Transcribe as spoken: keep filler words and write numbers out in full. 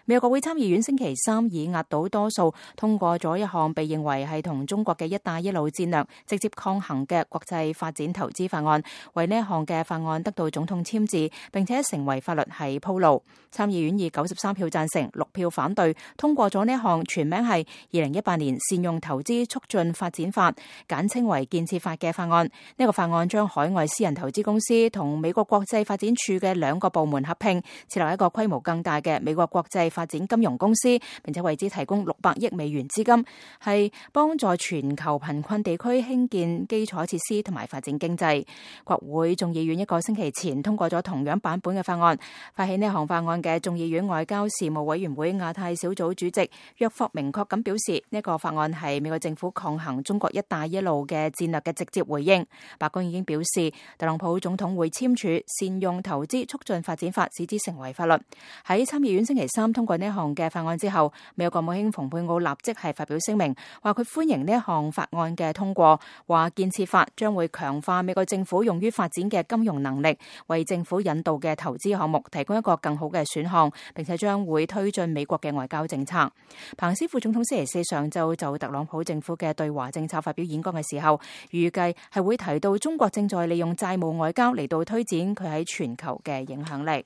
美國國會參議院星期三以壓倒多數通過咗一項被認為係同中國嘅一帶一路戰略直接抗衡嘅國際發展投資法案，為呢一項嘅法案得到總統簽字並且成為法律係鋪路。參議院以九十三票贊成、六票反對通過咗呢一項全名係二零一八年善用投資促進發展法，簡稱為建設法嘅法案。呢、這個法案將海外私人投資公司同美國國際發展署嘅兩個部門合併，設立一個規模更大嘅美國國際發展金融公司，並且為之提供六百億美元資金，係幫助全球貧困地區興建基礎設施同埋發展經濟。國會眾議院一個星期前通過咗同樣版本嘅法案。發起呢項法案嘅眾議院外交事務委員會亞太小組主席約霍明確咁表示，呢個法案係美國政府抗衡中國一帶一路嘅戰略嘅直接回應。白宮已經表示，特朗普總統會簽署善用投資促進發展法，使之成為法律。喺參議院星期三通過呢項嘅法案之後，美國國務卿蓬佩奧立即係發表聲明，話佢歡迎呢一項法案嘅通過，話建設法將會強化美國政府用於發展嘅金融能力，為政府引導嘅投資項目提供一個更好嘅選項，並且將會推進美國嘅外交政策。彭斯副總統星期四上晝就特朗普政府嘅對華政策發表演講嘅時候，預計係會提到中國正在利用債務外交嚟到推展佢喺全球嘅影響力。